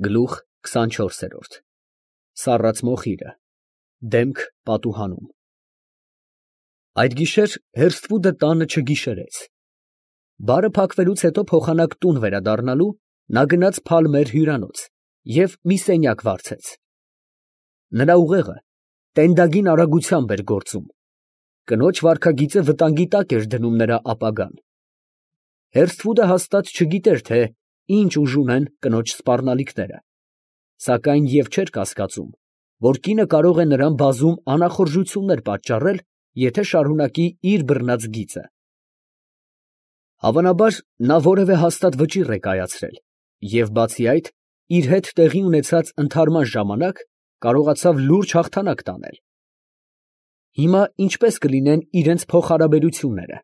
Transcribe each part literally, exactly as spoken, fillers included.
Գլուխ քսանչորսերորդ Սառած մոխիրը, դեմք պատուհանում։ Այդ գիշեր Հերսթվուդը տանը չգիշերեց։ Բարը փակվելուց հետո փոխանակ տուն վերադառնալու, նա գնաց Փալմեր հյուրանոց և մի սենյակ վարձեց։ Նրա ուղեղը տենդագին արագությամբ էր գործում, կնոջ վարքագիծը վտանգի տակ էր դնում նրա ապագան։ Հերսթվուդը հաստատ չգիտեր, թե ինչ ուժ ունեն կնոջ սպառնալիքները, սակայն և չէր կասկածում, որ կինը կարող է նրան բազում անախորժություններ պատճառել, եթե շարունակի իր բռնած գիծը։ Հավանաբար, նա որևէ հաստատ վճիռ է կայացրել և, բացի այդ, իր հետ տեղի ունեցած ընդհարման ժամանակ կարողացավ լուրջ հաղթանակ տանել։ Հիմա ինչպե՞ս կլինեն իրենց փոխհարաբերությունները։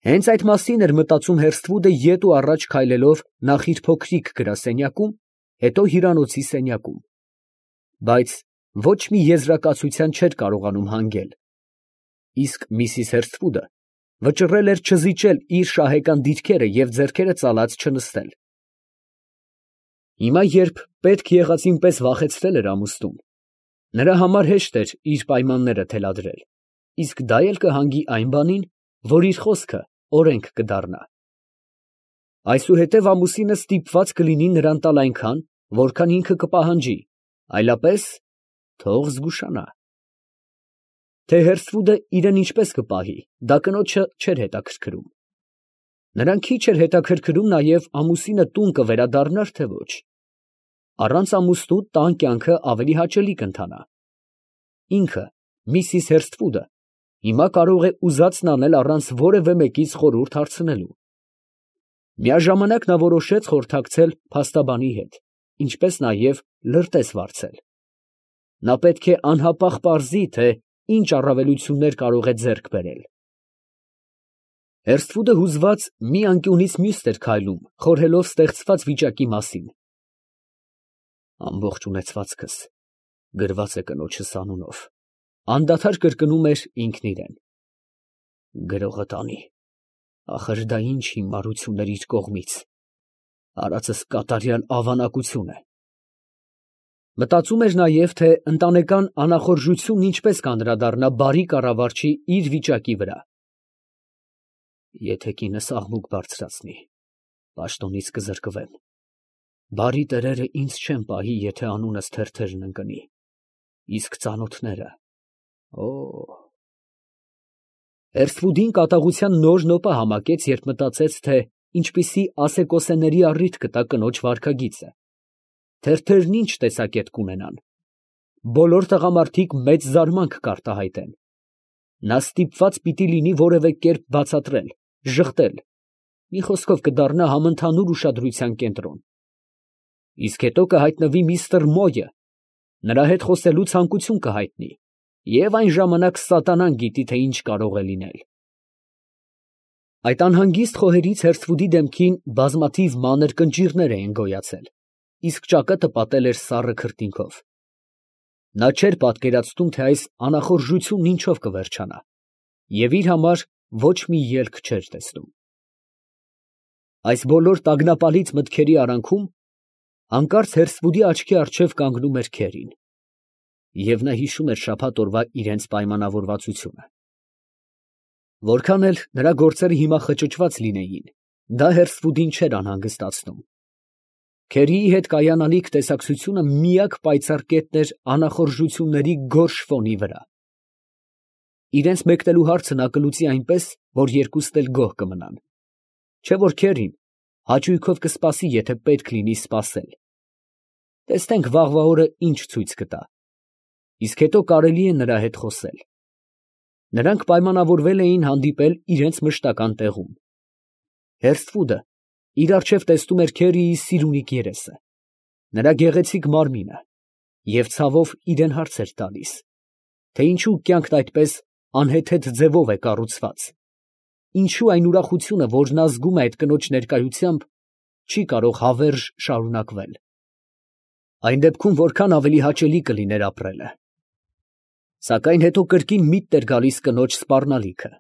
Հենց այդ մասին էր մտածում Հերսթվուդը ետ ու առաջ քայլելով նախ իր փոքրիկ գրասենյակում, հետո հյուրանոցի սենյակում, բայց ոչ մի եզրակացության չէր կարողանում հանգել, իսկ միսիս Հերսթվուդը վճռել էր չզիջել իր շահեկան դիրքերը և ձեռքերը ծալած չնստել։ Հիմա, երբ պետք եղածին պես վախեցրել էր ամուսնուն, նրա համար հեշտ էր իր պայմանները թելադրել, իսկ դա էլ կհանգի այն բանին, որ իր խոսքը օրենք կդառնա։ Այսուհետև ամուսինը ստիպված կլինի նրան տալ այնքան, որքան ինքը կպահանջի, այլապես թող զգուշանա։ Թե Հերսթվուդը իրեն ինչպես կպահի, դա կնոջը չէր հետաքրքրում։ Նրան քիչ էր հետաքրքրում նաև ամուսինը տուն կվերադառնար, թե ոչ։ Առանց ամուսնու տան կյանքը ավելի հաճելի կընթանա։ Ինքը, միսիս Հերսթվուդը, հիմա կարող է ուզածն անել առանց որևէ մեկից խորհուրդ հարցնելու։ Միաժամանակ նա որոշեց խորհրդակցել փաստաբանի հետ, ինչպես նաև լրտես վարձել։ Նա պետք է անհապաղ պարզի, թե ինչ առավելություններ կարող է ձեռք բերել։ Հերսթվուդը հուզված մի անկյունից մյուսն էր քայլում, խորհելով ստեղծված վիճակի մասին։ Ամբողջ ունեցվածքս գրված է կնոջս անունով, անդադար կրկնում էր ինքն իրան։ Գրողը տանի, ախր դա ինչ հիմարություն էր իր կողմից, արածս կատարյալ ավանակություն է։ Մտածում էր նաև, թե ընտանեկան անախորժությունն ինչպես կանդրադառնա բարի կառավարչի իր վիճակի վրա։ Եթե կինս աղմուկ բարձրացնի, պաշտոնից կզրկվեմ։ Բարի տերերը ինձ չեն պահի, եթե անունս թերթերն ընկնի, իսկ ծանոթները… Օ… Հերսթվուդին կատաղության նոր նոպը համակեց, երբ մտածեց, թե ինչպիսի ասեկոսեների առիթ կտա կնոջ վարքագիծը, թերթերն ինչ տեսակետ կունենան։ Բոլոր տղամարդիկ մեծ զարմանք կարտահայտեն։ Նա ստիպված պիտի լինի որևէ կերպ բացատրել, ժխտել, մի խոսքով կդառնա համընդհանուր ուշադրության կենտրոն։ Իսկ հետո կհայտնվի միստր Մոյը, նրա հետ խոսելու ցանկություն կհայտնի, և այն ժամանակ սատանան գիտի, թե ինչ կարող է լինել։ Այդ անհանգիստ խոհերից Հերսթվուդի դեմքին բազմաթիվ մանր կնճիռներ էին գոյացել, իսկ ճակատը պատել էր սառը քրտինքով։ Նա չէր պատկերացնում, թե այս անախորժությունն ինչով կվերջանա, և իր համար ոչ մի ելք չէր տեսնում։ Այս բոլոր տագնապալից մտքերի արանքում հանկարծ Հերսթվուդի աչքի առջև կանգնում էր քերին, և նա հիշում էր շաբաթ օրվա իրենց պայմանավորվածությունը։ Որքան էլ նրա գործերը հիմա խճճված լինեին, դա Հերսթվուդին չէր անհանգստացնում։ Քերիի հետ կայանալիք տեսակցությունը միակ պայծառ կետն էր անախորժությունների գորշ ֆոնի վրա։ Իրենց մեկնելու հարցը նա կլուծի այնպես, որ երկուսն էլ գոհ կմնան, չէ՞ որ քերին հաճույքով կսպասի, եթե պետք լինի սպասել։ Տեսնենք վաղվա օրը ինչ ցույց կտա, իսկ հետո կարելի է նրա հետ խոսել։ Նրանք պայմանավորվել էին հանդիպել իրենց մշտական տեղում։ Հերսթվուդը իր առջև տեսնում էր Քերիի սիրունիկ երեսը, նրա գեղեցիկ մարմինը, և ցավով իրան հարց էր տալիս, թե ինչու կյանքն այդպես անհեթեթ ձևով է կառուցված, ինչու այն ուրախությունը, որն նա զգում է այդ կնոջ ներկայությամբ, չի կարող հավերժ շարունակվել։ Այն դեպքում որքան ավելի հաճելի կլիներ ապրելը։ Սակայն հետո կրկին միտն էր գալիս կնոջ սպառնալիքը,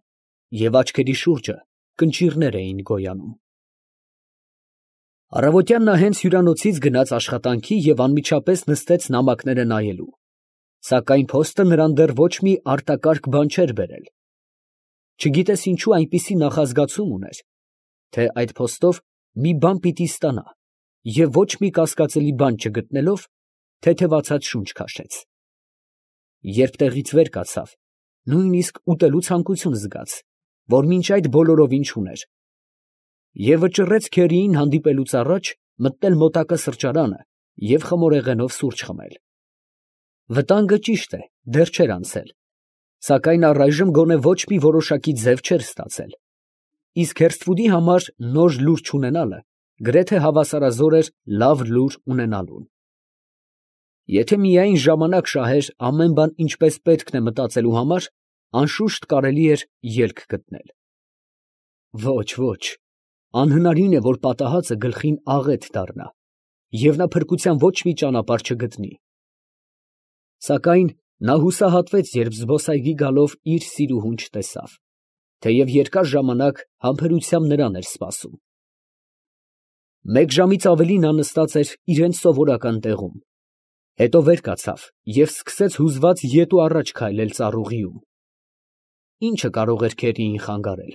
և աչքերի շուրջը կնճիռներ էին գոյանում։ Առավոտյան նա հենց հյուրանոցից գնաց աշխատանքի և անմիջապես նստեց նամակները նայելու, սակայն փոստը նրան դեռ ոչ մի արտակարգ բան չէր բերել. չգիտես ինչու այնպիսի նախազգացում ուներ, թե այդ փոստով մի բան պիտի ստանա, և ոչ մի կասկածելի բան չգտնելով, թեթևացած շունչ քաշեց. երբ տեղից վեր կացավ, նույնիսկ ուտելու ցանկություն զգաց, որ մինչ այդ բոլորովին չուներ, և վճռեց քերիին հանդիպելուց առաջ մտնել մոտակա սրճարանը և խմորեղենով սուրճ խմել։ Վտանգը ճիշտ է, դեռ չէր անցել, սակայն առայժմ գոնե ոչ մի որոշակի ձև չէր ստացել, իսկ Հերսթվուդի համար նոր լուր չունենալը գրեթե հավասարազոր էր լավ լուր ունենալուն։ Եթե միայն ժամանակ շահեր ամեն բան ինչպես պետք է մտածելու համար, անշուշտ կարելի էր ելք գտնել։ Ոչ, ոչ, անհնարին է, որ պատահածը գլխին աղետ դառնա, և նա փրկության ոչ մի ճանապարհ չգտնի։ Սակայն նա հուսահատվեց, երբ զբոսայգի գալով իր սիրուհուն չտեսավ, թեև երկար ժամանակ համբերությամբ նրան էր սպասում։ Մեկ ժամից ավելի նա նստած էր իրենց սովորական տեղում, հետո վեր կացավ և սկսեց հուզված ետ ու առաջ քայլել ծառուղիում։ Ի՞նչը կարող էր քերիին խանգարել։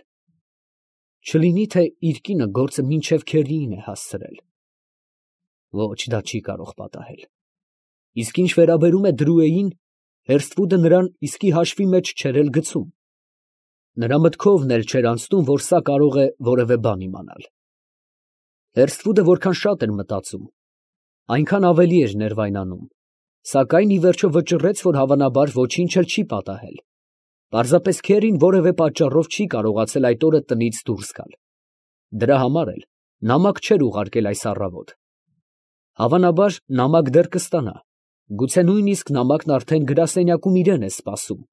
Չլինի՞ թե իր կինը գործը մինչև քերիին է հասցրել։ Ոչ, դա չի կարող պատահել։ Իսկ ինչ վերաբերում է Դրուեին, Հերսթվուդը նրան իսկի հաշվի մեջ չէր էլ գցում։ Նրա մտքովն էլ չէր անցնում, որ սա կարող է որևէ բան իմանալ։ Հերսթվուդը որքան շատ էր մտածում, այնքան ավելի էր ներվայնանում, սակայն ի վերջո վճռեց, որ հավանաբար ոչինչ էլ չի պատահել։ Պարզապես քերին որևէ պատճառով չի կարողացել այդ օրը տնից դուրս գալ։ Դրա համար էլ նամակ չէր ուղարկել այս առավոտ։ Հավանաբար նամակ դեռ կստանա, գուցե նույնիսկ նամակն արդեն գրասենյակում իրան է սպասում։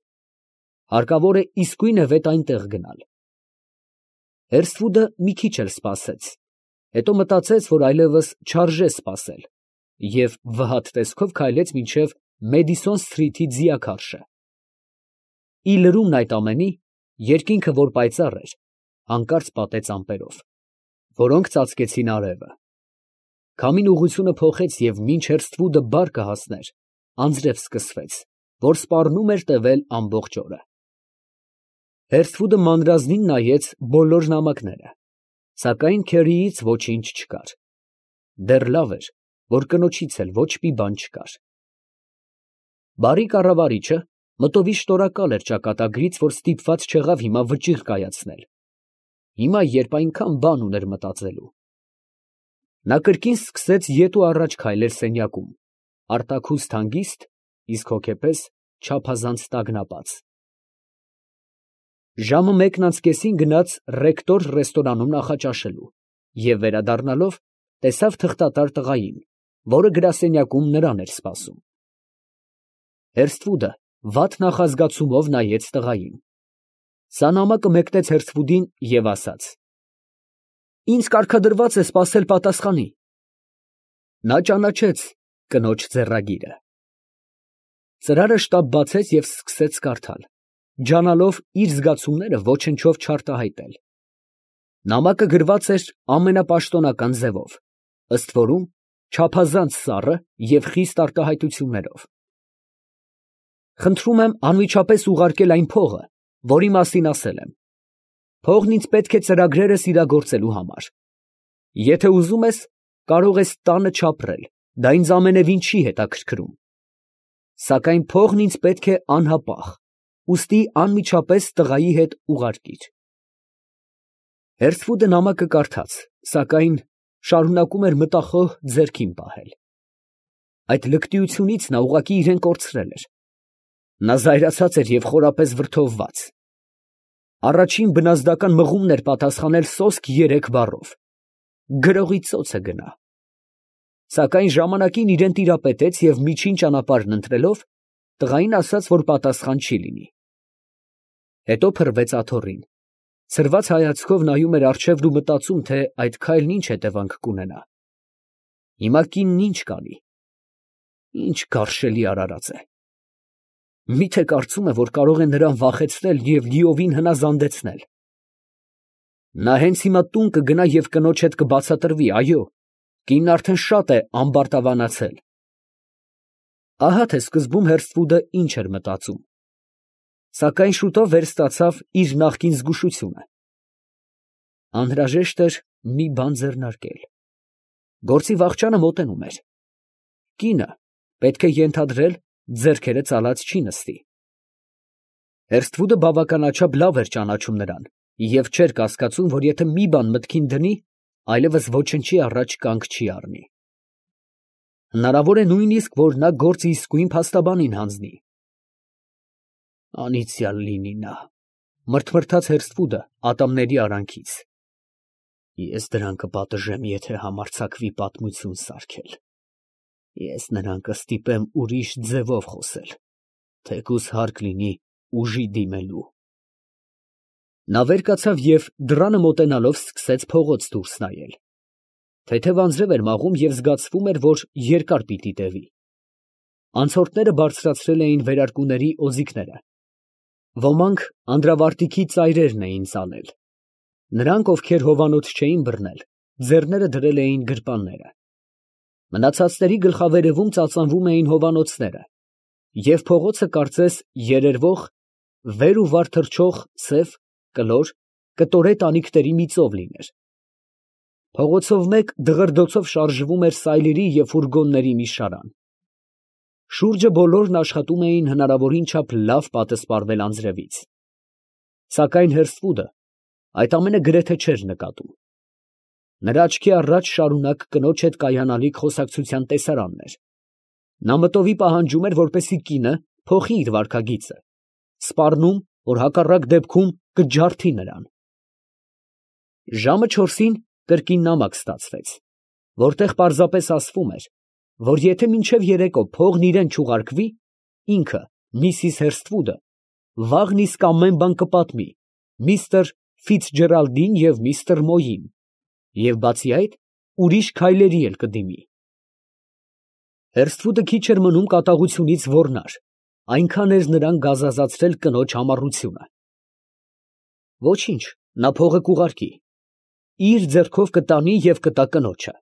Հարկավոր է իսկույնևեթ այնտեղ գնալ։ Հերսթվուդը մի քիչ էլ սպասեց, հետո մտածեց, որ այլևս չարժե սպասել, և վհատ տեսքով քայլեց մինչև Մեդիսոն Սթրիթի ձիաքարշը։ Ի լրումն այդ ամենի, երկինքը, որ պայծառ էր, հանկարծ պատեց ամպերով, որոնք ծածկեցին արևը։ Քամին ուղղությունը փոխեց և մինչ Հերսթվուդը բար կհասներ, անձրև սկսվեց, որ սպառնում էր տևել ամբողջ օրը։ Հերսթվուդը մանրազնին նայեց բոլոր նամակները, սակայն քերիից ոչինչ չկար։ Դեռ լավ էր, որ կնոջից էլ ոչ մի բան չկար։ Բարի կառավարիչը մտովի շնորհակալ էր ճակատագրից, որ ստիպված չեղավ հիմա վճիռ կայացնել, հիմա, երբ այնքան բան ուներ մտածելու։ Նա կրկին սկսեց ետ ու առաջ քայլել սենյակում, արտաքուստ հանգիստ, իսկ հոգեպես չափազանց տագնապած։ Ժամը մեկն անց կեսին գնաց ռեկտոր ռեստորանում նախաճաշելու և վերադառնալով տեսավ թղթատար տղային, որը գրասենյակում նրան էր սպասում։ Հերսթվուդը վատ նախազգացումով նայեց տղային։ Սա նամակը մեկնեց Հերսթվուդին և ասաց. «Ինձ կարգադրված է սպասել պատասխանի»։ Նա ճանաչեց կնոջ ձեռագիրը։ Ծրարը շտապ բացեց և սկսեց կարդալ, ջանալով իր զգացումները ոչնչով չարտահայտել։ Նամակը գրված էր ամենապաշտոնական ձևով, ըստ որում չափազանց սառը և խիստ արտահայտություններով։ «Խնդրում եմ անմիջապես ուղարկել այն փողը, որի մասին ասել եմ։ Փողն ինձ պետք է ծրագրերս իրագործելու համար։ Եթե ուզում ես, կարող ես տանը չապրել, դա ինձ ամենևին չի հետաքրքրում։ Սակայն փողն ինձ պետք է անհապաղ, ուստի անմիջապես տղայի հետ ուղարկիր»։ Հերսթվուդը նամակը կարդաց, սակայն շարունակում էր մտախոհ ձեռքին պահել։ Այդ լկտիությունից նա ուղղակի իրան կորցրել էր։ Նա զայրացած էր և խորապես վրդովված։ Առաջին բնազդական մղումն էր պատասխանել սոսկ երեք բառով. «Գրողի ծոցը գնա»։ Սակայն ժամանակին իրան տիրապետեց և միջին ճանապարհն ընտրելով, տղային ասաց, որ պատասխան չի լինի։ Հետո փռվեց աթոռին, ցրված հայացքով նայում էր առջևն ու մտածում, թե այդ քայլն ինչ հետևանք կունենա։ Հիմա կինն ինչ կանի։ Ինչ գարշելի արարած է։ Մի՞թե կարծում է, որ կարող է նրան վախեցնել և լիովին հնազանդեցնել։ Նա հենց հիմա տուն կգնա և կնոջ հետ կբացատրվի, այո, Կինն արդեն շատ է ամբարտավանացել։ Ահա թե սկզբում Հերսթվուդը ինչ էր մտածում, սակայն շուտով վերստացավ իր նախկին զգուշությունը. անհրաժեշտ էր մի բան ձեռնարկել։ Գործի վախճանը մոտենում էր։ Կինը, պետք է ենթադրել, ձեռքերը ծալած չի նստի։ Հերսթվուդը բավականաչափ լավ էր ճանաչում նրան և չէր կասկածում, որ եթե մի բան մտքին դնի, այլևս ոչնչի առաջ կանգ չի առնի։ Հնարավոր է նույնիսկ, որ նա գործը իսկույն փաստաբանին հանձնի։ Անիծյալ լինի նա, մրթմրթաց Հերսթվուդը ատամների արանքից։ Ես դրան կպատժեմ, եթե համարձակվի պատմություն սարքել։ Ես նրան կստիպեմ ուրիշ ձևով խոսել, թեկուզ հարկ լինի ուժի դիմելու։ Նա վեր կացավ և դռանը մոտենալով սկսեց փողոց դուրս նայել։ Թեթև անձրև էր մաղում և զգացվում էր, որ երկար պիտի տևի։ Անցորդները բարձրացրել էին վերարկուների օձիքները։ Ոմանք անդրավարտիքի ծայրերն էին ծալել։ Նրանք, ովքեր հովանոց չէին բռնել, ձեռները դրել էին գրպանները։ Մնացածների գլխավերևում ծածանվում էին հովանոցները, և փողոցը կարծես երերվող, վեր ու վար թռչող սև, կլոր, կտորե տանիքների մի ծով լիներ։ Փողոցով մեկ դղրդոցով շարժվում էր սայլերի և ֆուրգոնների մի շարան։ Շուրջը բոլորն աշխատում էին հնարավորին չափ լավ պատսպարվել անձրևից։ Սակայն Հերսթվուդը այդ ամենը գրեթե չէր նկատում։ Նրա աչքի առաջ շարունակ կնոջ հետ կայանալիք խոսակցության տեսարանն էր։ Նա մտովի պահանջում էր, որպեսզի կինը փոխի իր վարքագիծը, սպառնում, որ հակառակ դեպքում կջարդի նրան։ Ժամը չորսին կրկին նամակ ստացվեց, որտեղ պարզապես ասվում էր, որ եթե մինչև երեկո փողն իրան չուղարկվի, ինքը, միսիս Հերսթվուդը, վաղն իսկ ամեն բան կպատմի միստր Ֆիցջերալդին և միստր Մոյին, և բացի այդ, ուրիշ քայլերի էլ կդիմի։ Հերսթվուդը քիչ էր մնում կատաղությունից ոռնար, այնքան էր նրան գազազացրել կնոջ համառությունը։ Ոչինչ, նա փողը կուղարկի, իր ձեռքով կտանի և կտա կնոջը։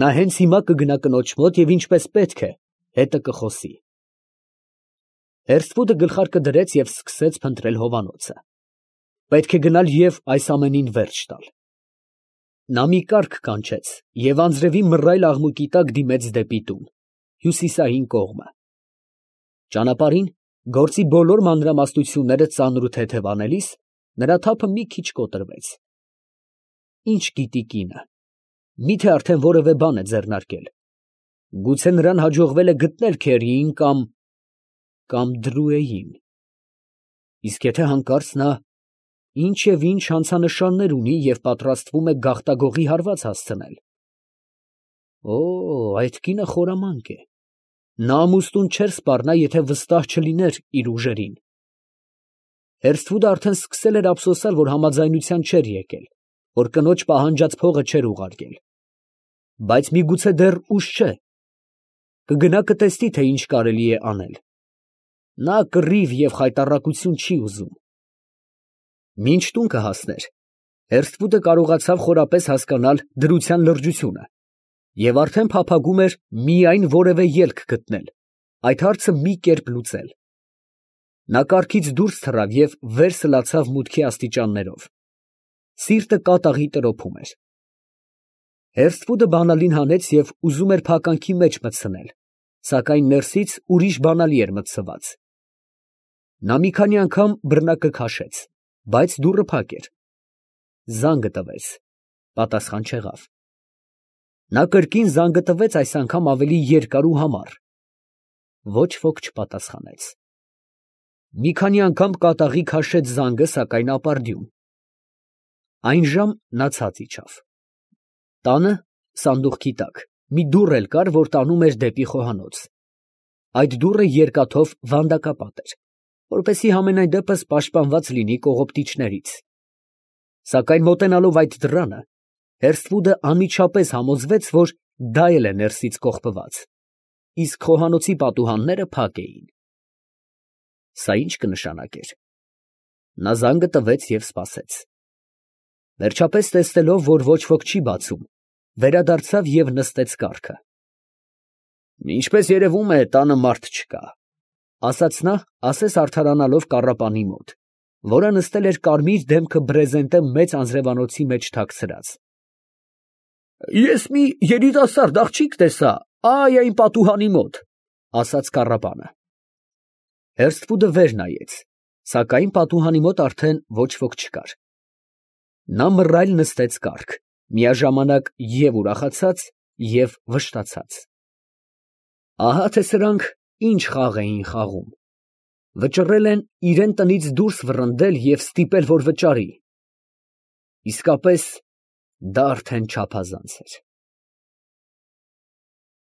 Նա հենց հիմա կգնա կնոջ մոտ և ինչպես պետք է, հետը կխոսի։ Հերսթվուդը գլխարկը դրեց և սկսեց փնտրել հովանոցը։ Պետք է գնալ և այս ամենին վերջ տալ։ Նա մի կառք կանչեց և անձրևի մռայլ աղմուկի տակ դիմեց դեպի տուն, հյուսիսային կողմը։ Ճանապարհին, գործի բոլոր մանրամասնությունները ծանր ու թեթև անելիս, նրա թափը մի քիչ կոտրվեց։ Ինչ գիտի կինը, մի՞թե արդեն որևէ բան է ձեռնարկել։ Գուցե նրան հաջողվել է գտնել Քերիին կամ… կամ Դրուեին։ Իսկ եթե հանկարծ նա ինչ և ինչ հանցանշաններ ունի և պատրաստվում է գաղտագողի հարված հասցնել… Օ, այդ կինը խորամանկ է։ Նա ամուսնուն չէր սպառնա, եթե վստահ չլիներ իր ուժերին։ Հերսթվուդը արդեն սկսել էր ափսոսալ, որ համաձայնության չէր եկել, որ կնոջ պահանջած փողը չէր ուղարկել։ Բայց միգուցե դեռ ուշ չէ։ Կգնա կտեսնի, թե ինչ կարելի է անել։ Նա կռիվ և խայտառակություն չի ուզում։ Մինչ տուն կհասներ, Հերսթվուդը կարողացավ խորապես հասկանալ դրության լրջությունը և արդեն փափագում էր միայն որևէ ելք գտնել, այդ հարցը մի կերպ լուծել։ Նա կառքից դուրս թռավ և վեր սլացավ մուտքի աստիճաններով։ Սիրտը կատաղի տրոփում էր։ Հերսթվուդը բանալին հանեց և ուզում էր փականքի մեջ մտցնել, սակայն ներսից ուրիշ բանալի էր մտցված։ Նա մի քանի անգամ բռնակը քաշեց, բայց դուռը փակ էր։ Զանգը տվեց, պատասխան չեղավ։ Նա կրկին զանգը տվեց, այս անգամ ավելի երկար ու համառ։ Ոչ ոք չպատասխանեց։ Մի քանի անգամ կատաղի քաշեց զանգը, սակայն ապարդյուն։ Այն ժամ նա ցած իջավ։ Տանը, սանդուղքի տակ, մի դուռ էլ կար, որ տանում էր դեպի խոհանոց։ Այդ դուռը երկաթով վանդակապատ էր, որպեսզի համենայն դեպս պաշտպանված լինի կողոպտիչներից։ Սակայն մոտենալով այդ դռանը, Հերսթվուդը անմիջապես համոզվեց, որ դա էլ է ներսից կողպված, իսկ խոհանոցի պատուհանները փակ էին։ Սա ի՞նչ կնշանակեր։ Նա զանգը տվեց և սպասեց։ Վերջապես տեսնելով, որ ոչ ոք չի բացում, վերադարձավ և նստեց կառքը։ Ինչպես երևում է, տանը մարդ չկա, ֊ ասաց նա, ասես արդարանալով կառապանի մոտ, որը նստել էր կարմիր դեմքը բրեզենտե մեծ անձրևանոցի մեջ թաքցրած։ ֊ Ես մի երիտասարդ աղջիկ տեսա ա՜յ այն պատուհանի մոտ, ֊ ասաց կառապանը։ Հերսկուտը վեր նայեց, սակայն պատուհանի մոտ արդեն ոչ ոք չկար։ Նա մռայլ նստեց կառք, միաժամանակ և ուրախացած, և վշտացած։ Ահա թե սրանք ինչ խաղ էին խաղում. վճռել են իրան տնից դուրս վռնդել և ստիպել, որ վճարի. իսկապես դա արդեն չափազանց էր։